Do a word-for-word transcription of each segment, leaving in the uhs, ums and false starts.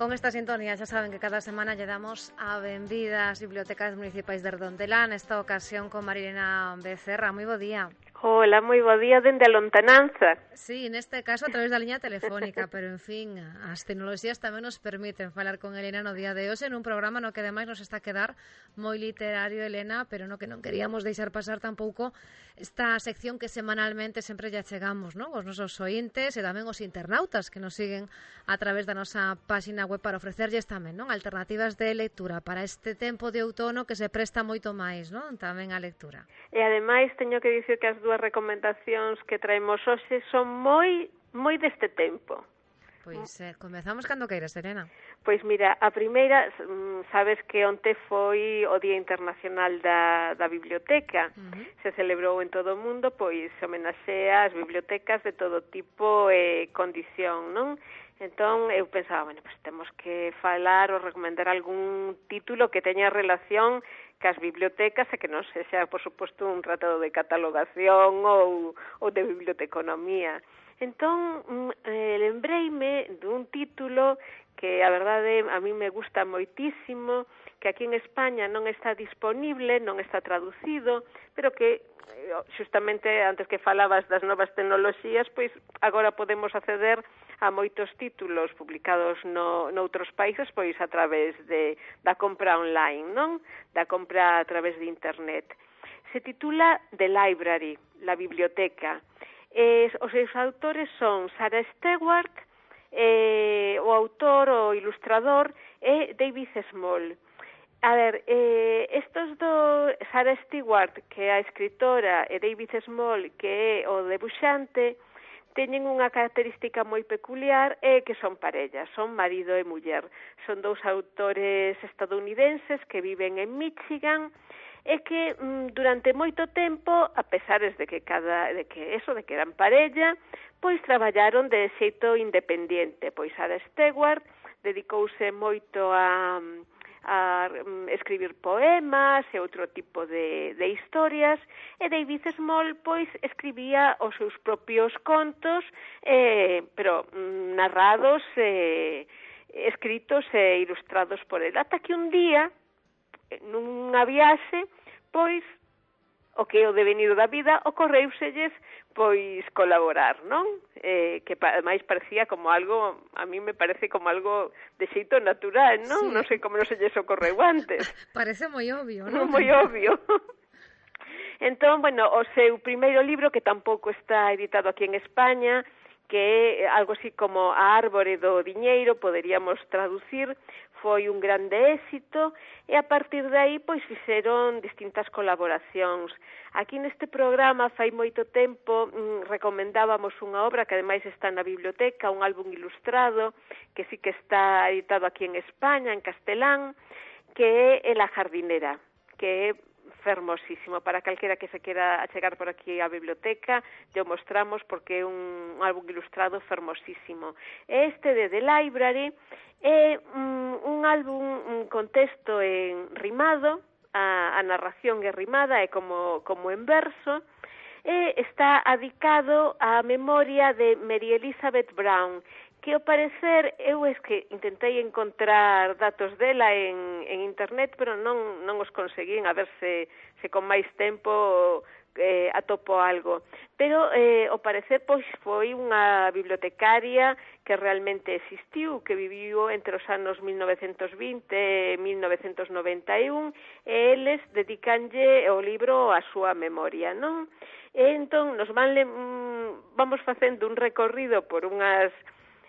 Con esta sintonía xa saben que cada semana lle damos a benvida ás bibliotecas municipais de Redondela, nesta ocasión con Marilena Becerra. Moi bo día. Hola, moi bo día dende a lontananza. Sí, neste caso a través da liña telefónica, pero en fin, as tecnoloxías tamén nos permiten falar con Elena no día de hoxe nun programa no que ademais nos está a quedar moi literario, Elena, pero no que non queríamos deixar pasar tampouco esta sección que semanalmente sempre lle chegamos, non? Os nosos ointes e tamén os internautas que nos siguen a través da nosa páxina web para ofrecerlles tamén, non? Alternativas de lectura para este tempo de outono que se presta moito máis, non? Tamén a lectura. E ademais teño que dicir que as dúas recomendacións que traemos hoxe son moi moi deste tempo. Pois eh, comezamos cando queiras, Elena. Pois mira, a primeira, sabes que onte foi o Día Internacional da, da Biblioteca. Uh-huh. Se celebrou en todo o mundo, pois se homenaxea as bibliotecas de todo tipo e condición, non? Entón, eu pensaba, bueno, pues temos que falar ou recomendar algún título que teña relación cas bibliotecas e que non sexa, por suposto, un tratado de catalogación ou, ou de biblioteconomía. Entón, eh, lembreime dun título que, a verdade, a mí me gusta moitísimo, que aquí en España non está disponible, non está traducido, pero que, xustamente, antes que falabas das novas tecnoloxías, pois agora podemos acceder a moitos títulos publicados no, noutros países, pois a través de, da compra online, non? Da compra a través de internet. Se titula The Library, la biblioteca. Eh, os seus autores son Sarah Stewart, eh, o autor, o ilustrador, é David Small. A ver, eh, estos dos, Sarah Stewart, que é a escritora, e David Small, que é o debuxante, teñen unha característica moi peculiar e que son parellas, son marido e muller. Son dous autores estadounidenses que viven en Michigan e que mm, durante moito tempo, a pesares de que cada de que eso de que eran parella, pois traballaron de xeito independiente. Pois Sarah Stewart dedicouse moito a a escribir poemas e outro tipo de, de historias, e David Small, pois, escribía os seus propios contos, eh, pero narrados, eh, escritos e ilustrados por ele. Ata que un día, nunha viaxe, pois, o que é o devenido da vida, ocorreuselles, pois, colaborar, non? Eh, que máis parecía como algo, a mí me parece como algo de xeito natural, non? Sí. Non sei como non se lles ocorreu antes. Parece moi obvio, non? Moi obvio. Entón, bueno, o seu primeiro libro, que tampouco está editado aquí en España, que é algo así como A árbore do diñeiro, poderíamos traducir, foi un grande éxito, e a partir de aí, pois, fixeron distintas colaboracións. Aquí neste programa, fai moito tempo, mm, recomendábamos unha obra que ademais está na biblioteca, un álbum ilustrado, que sí que está editado aquí en España, en castelán, que é La jardinera, que é fermosísimo. Para calquera que se quera achegar por aquí á biblioteca, lle mostramos porque é un álbum ilustrado fermosísimo. Este de The Library é un, un álbum un contexto en rimado, a, a narración é rimada, é como, como en verso, e está adicado á memoria de Mary Elizabeth Brown, que ao parecer, eu es que intentei encontrar datos dela en, en internet, pero non, non os conseguín, a ver se, se con máis tempo eh, atopo algo. Pero, eh, ao parecer, pois, foi unha bibliotecaria que realmente existiu, que viviu entre os anos mil novecentos vinte e mil novecentos noventa e un, e eles dedicanlle o libro á súa memoria, non? E entón, nos van le, mm, vamos facendo un recorrido por unhas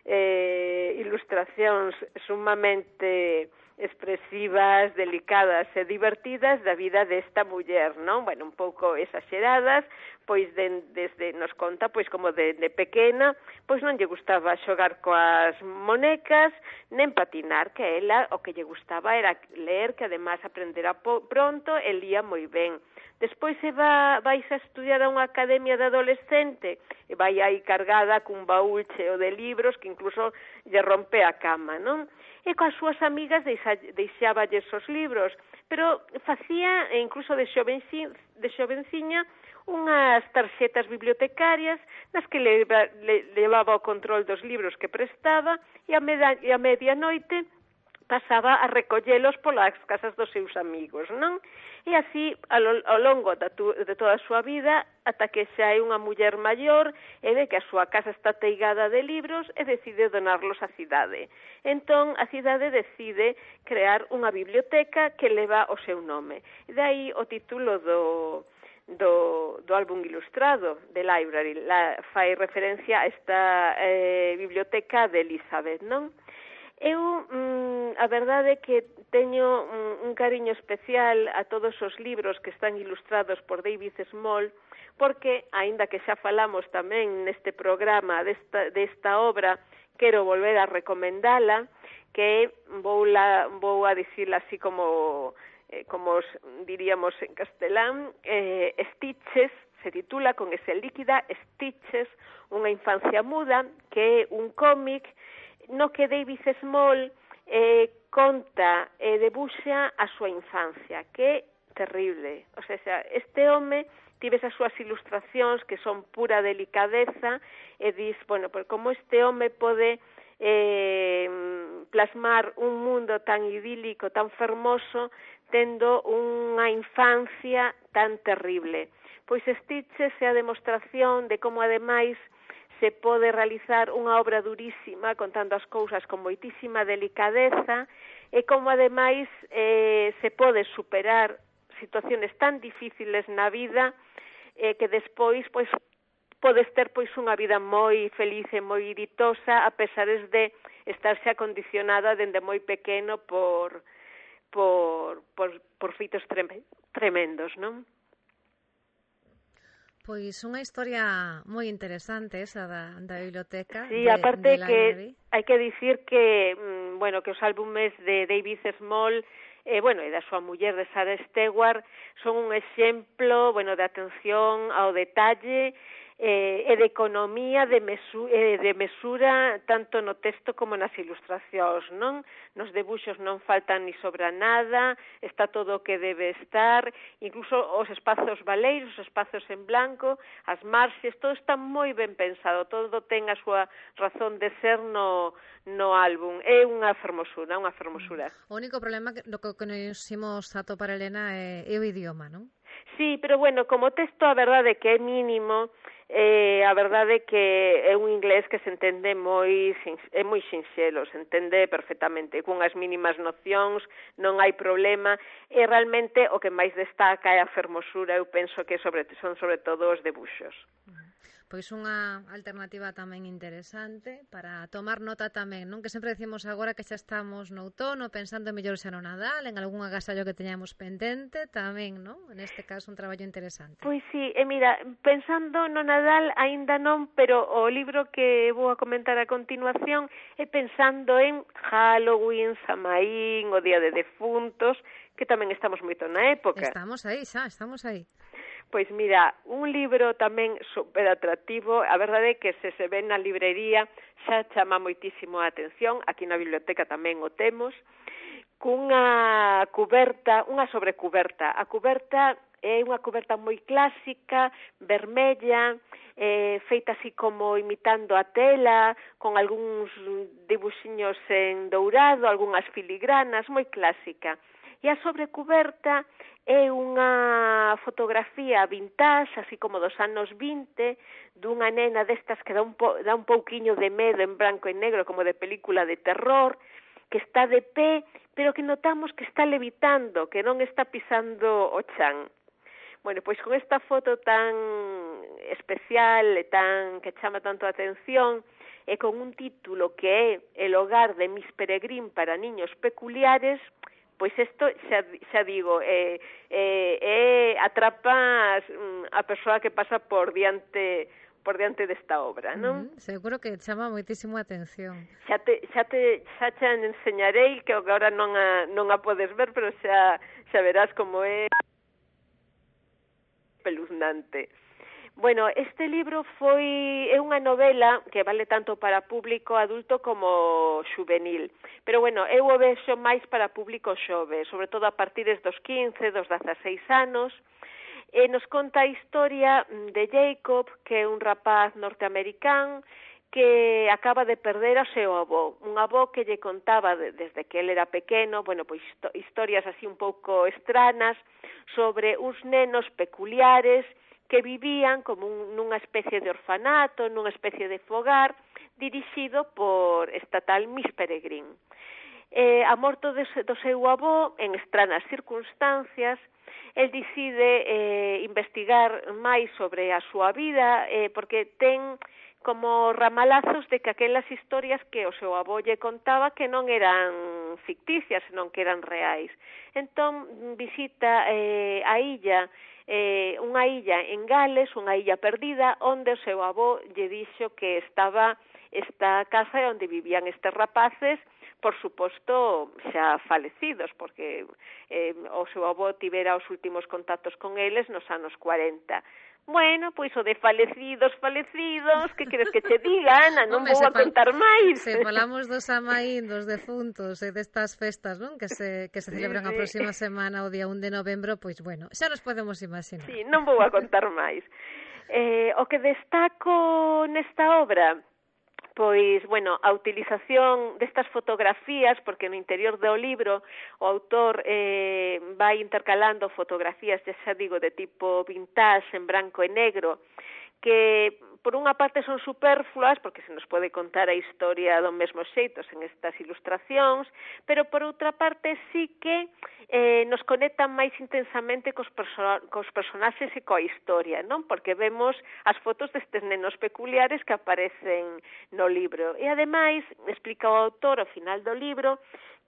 eh, ilustracións sumamente expresivas, delicadas e divertidas da vida desta muller, non? Bueno, un pouco exageradas, pois de, desde nos conta, pois como de, de pequena, pois non lle gustaba xogar coas monecas, nen patinar, que ela o que lle gustaba era ler, que además aprendera po, pronto e lía moi ben. Despois se va, vais a estudiar a unha academia de adolescente e vai aí cargada cun baúl cheo de libros que incluso lle rompe a cama, non? E coas súas amigas deixa, deixáballes os libros, pero facía, incluso de, xovenci, de xovenciña, unhas tarxetas bibliotecarias nas que leva, le, levaba o control dos libros que prestaba e a, meda, e a medianoite pasaba a recollelos polas casas dos seus amigos, non? E así, ao, ao longo da tu, de toda a súa vida, ata que xa é unha muller maior e ve que a súa casa está teigada de libros e decide donarlos á cidade. Entón, a cidade decide crear unha biblioteca que leva o seu nome. E dai o título do... Do, do álbum ilustrado de Library, la, fai referencia a esta eh, biblioteca de Elizabeth, non? Eu, mm, a verdade é que teño un, un cariño especial a todos os libros que están ilustrados por David Small, porque, aínda que xa falamos tamén neste programa desta, desta obra, quero volver a recomendala, que vou, la, vou a dicirla así como... como os diríamos en castelán, eh, Stitches, se titula con ese líquida, Stitches, unha infancia muda, que é un cómic no que David Small eh, conta e debuxa a súa infancia, que é terrible. O sea, este home tives as súas ilustracións que son pura delicadeza e dis, bueno, pues como este home pode eh, plasmar un mundo tan idílico, tan fermoso, tendo unha infancia tan terrible. Pois Stitches é a demostración de como, ademais, se pode realizar unha obra durísima contando as cousas con moitísima delicadeza e como, ademais, eh, se pode superar situaciones tan difíciles na vida eh, que despois, pois, podes ter pois unha vida moi feliz e moi ditosa a pesares de estarse acondicionada dende moi pequeno por... por, por, por feitos tremendos, non? Pois unha historia moi interesante esa da, da biblioteca. Sí, de, aparte de que hai que dicir que, bueno, que os álbumes de David Small, eh, bueno, e da súa muller de Sarah Stewart, son un exemplo, bueno, de atención ao detalle eh, e de economía de, mesu eh, de mesura tanto no texto como nas ilustracións, non? Nos debuxos non faltan ni sobra nada, está todo o que debe estar, incluso os espazos baleiros, os espazos en blanco, as marxes, todo está moi ben pensado, todo ten a súa razón de ser no, no álbum. É unha fermosura, unha fermosura. O único problema que, lo que nos imos a topar, Elena, é, é o idioma, non? Sí, pero bueno, como texto a verdade que é mínimo, eh, a verdade que é un inglés que se entende moi, é moi sinxelo, se entende perfectamente, cunhas mínimas nocións, non hai problema, e realmente o que máis destaca é a fermosura, eu penso que sobre, son sobre todo os debuxos. Pois unha alternativa tamén interesante para tomar nota tamén, non? Que sempre decimos agora que xa estamos no outono, pensando mellor xa no Nadal, en algún agasallo que teñamos pendente, tamén, non? Neste caso, un traballo interesante. Pois sí, e mira, pensando no Nadal aínda non, pero o libro que vou a comentar a continuación é pensando en Halloween, Samaín, o Día de Defuntos, que tamén estamos moito na época. Estamos aí, xa, estamos aí. Pois mira, un libro tamén super atractivo, a verdade é que se se ven na librería xa chama moitísimo a atención, aquí na biblioteca tamén o temos, cunha cuberta, unha sobrecuberta. A cuberta é unha cuberta moi clásica, vermella, eh, feita así como imitando a tela, con algúns dibuxiños en dourado, algunhas filigranas, moi clásica. E a sobrecuberta é unha fotografía vintage, así como dos anos vinte, dunha nena destas que dá un, po, dá un pouquiño de medo en branco e negro, como de película de terror, que está de pé, pero que notamos que está levitando, que non está pisando o chan. Bueno, pois con esta foto tan especial e tan que chama tanto a atención, e con un título que é El hogar de Miss Peregrine para niños peculiares, pois isto, xa, xa digo, eh, eh, eh, atrapa a persoa que pasa por diante por diante desta obra, non? Mm, seguro que chama moitísimo a atención. Xa te, xa te xa te enseñarei, que agora non a, non a podes ver, pero xa, xa verás como é peluznante. Bueno, este libro foi é unha novela que vale tanto para público adulto como juvenil. Pero bueno, eu o vexo máis para público xove, sobre todo a partir dos quince, dos dezaseis anos. e nos conta a historia de Jacob, que é un rapaz norteamericano que acaba de perder ao seu avó, un avó que lle contaba de, desde que ele era pequeno, bueno, pois historias así un pouco estranas sobre uns nenos peculiares que vivían como un, nunha especie de orfanato, nunha especie de fogar, dirixido por esta tal Miss Peregrine. Eh, a morto de, do seu avó, en estranas circunstancias, el decide eh, investigar máis sobre a súa vida, eh, porque ten como ramalazos de que aquelas historias que o seu avó lle contaba que non eran ficticias, senón que eran reais. Entón, visita eh, a illa, eh, unha illa en Gales, unha illa perdida, onde o seu avó lle dixo que estaba esta casa onde vivían estes rapaces, por suposto, xa falecidos, porque eh, o seu avó tivera os últimos contactos con eles nos anos cuarenta. Bueno, pois o de falecidos, falecidos, que queres que che diga, Ana? Non Home, vou a contar máis. Se falamos dos amaín, dos defuntos e destas festas, non? Que se, que se celebran sí, sí. a próxima semana, o día un de novembro, pois bueno, xa nos podemos imaginar. Sí, non vou a contar máis. Eh, o que destaco nesta obra, pois, bueno, a utilización destas fotografías, porque no interior do libro o autor eh, vai intercalando fotografías, xa digo, de tipo vintage, en branco e negro, que por unha parte son superfluas, porque se nos pode contar a historia do mesmo xeito en estas ilustracións, pero por outra parte sí que eh, nos conectan máis intensamente cos, perso cos personaxes e coa historia, non? Porque vemos as fotos destes nenos peculiares que aparecen no libro. E ademais, explica o autor ao final do libro,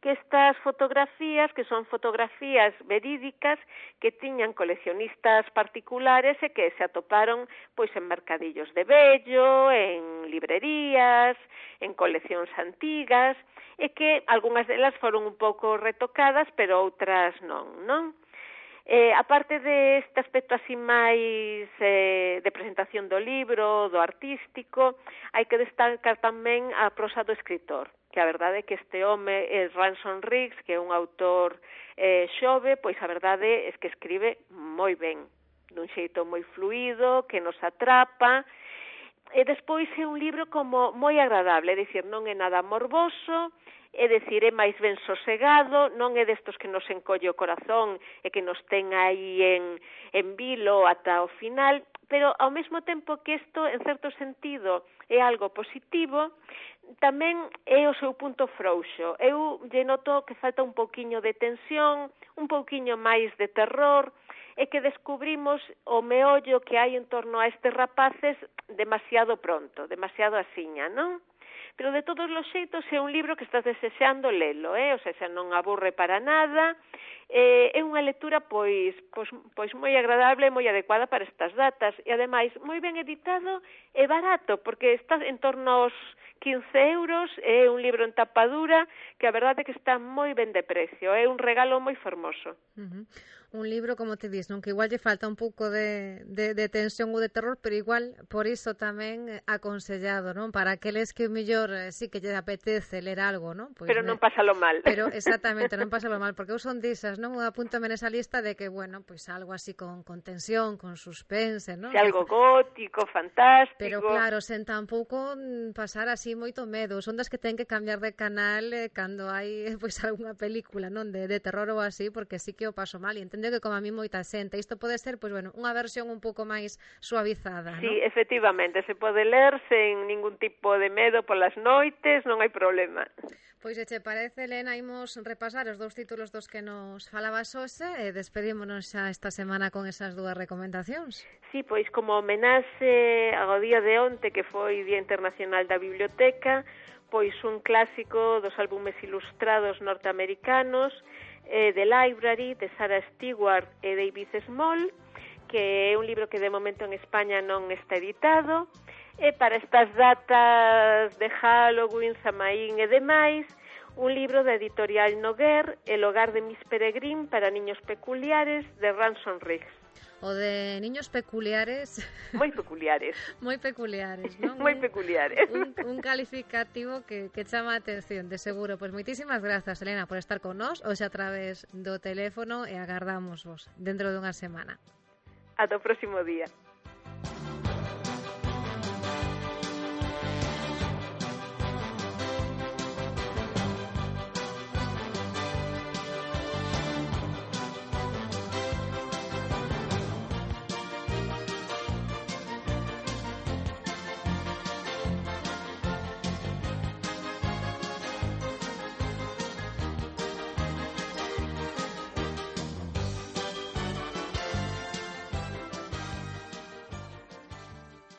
que estas fotografías, que son fotografías verídicas, que tiñan coleccionistas particulares e que se atoparon pois en mercadillos de vello, en librerías, en coleccións antigas, e que algunhas delas foron un pouco retocadas, pero outras non, non? Eh, aparte deste aspecto así máis eh, de presentación do libro, do artístico, hai que destacar tamén a prosa do escritor, que a verdade é que este home é Ransom Riggs, que é un autor eh, xove, pois a verdade é que escribe moi ben, dun xeito moi fluido, que nos atrapa, e despois é un libro como moi agradable, é dicir, non é nada morboso, é dicir, é máis ben sosegado, non é destos que nos encolle o corazón e que nos ten aí en, en vilo ata o final, pero ao mesmo tempo que isto, en certo sentido, é algo positivo, tamén é o seu punto frouxo. Eu lle noto que falta un pouquiño de tensión, un pouquiño máis de terror, e que descubrimos o meollo que hai en torno a estes rapaces demasiado pronto, demasiado asiña, non? Pero de todos os xeitos é un libro que estás desexando lelo, eh? O sea, xa non aburre para nada, eh, é unha lectura pois, pois, pois moi agradable, moi adecuada para estas datas, e ademais moi ben editado e barato, porque está en torno aos quince euros, é un libro en tapadura que a verdade é que está moi ben de precio, é un regalo moi fermoso. Uh-huh. Un libro, como te dis, non? Que igual lle falta un pouco de, de, de tensión ou de terror, pero igual por iso tamén aconsellado, non? Para aqueles que mellor eh, sí que lle apetece ler algo, non? Pois pero non me... pásalo mal. Pero exactamente, non pásalo mal, porque eu son disas, non? Eu apúntame nesa lista de que, bueno, pois algo así con, con tensión, con suspense, non? Se algo gótico, fantástico. Pero claro, sen tampouco pasar así moito medo. Son das que ten que cambiar de canal eh, cando hai pois algunha película, non? De, de terror ou así, porque sí que o paso mal, e entendo que como a mí moita xente. Isto pode ser, pois bueno, unha versión un pouco máis suavizada, sí, non? Sí, efectivamente, se pode ler sen ningún tipo de medo polas noites, non hai problema. Pois se che parece, Elena, imos repasar os dous títulos dos que nos falabas hoxe e despedímonos xa esta semana con esas dúas recomendacións. Sí, pois como homenaxe ao día de onte, que foi Día Internacional da Biblioteca, pois un clásico dos álbumes ilustrados norteamericanos, eh, The Library, de Sarah Stewart e David Small, que é un libro que de momento en España non está editado, e para estas datas de Halloween, Samaín e demais, un libro da editorial Noguer, El hogar de Miss Peregrine para niños peculiares, de Ransom Riggs. O de niños peculiares... Moi peculiares. Moi peculiares, non? Moi peculiares. Un, un calificativo que, que chama a atención, de seguro. Pois moitísimas grazas, Elena, por estar con nós, hoxe a través do teléfono, e agardamos vos dentro dunha semana. Ata o próximo día.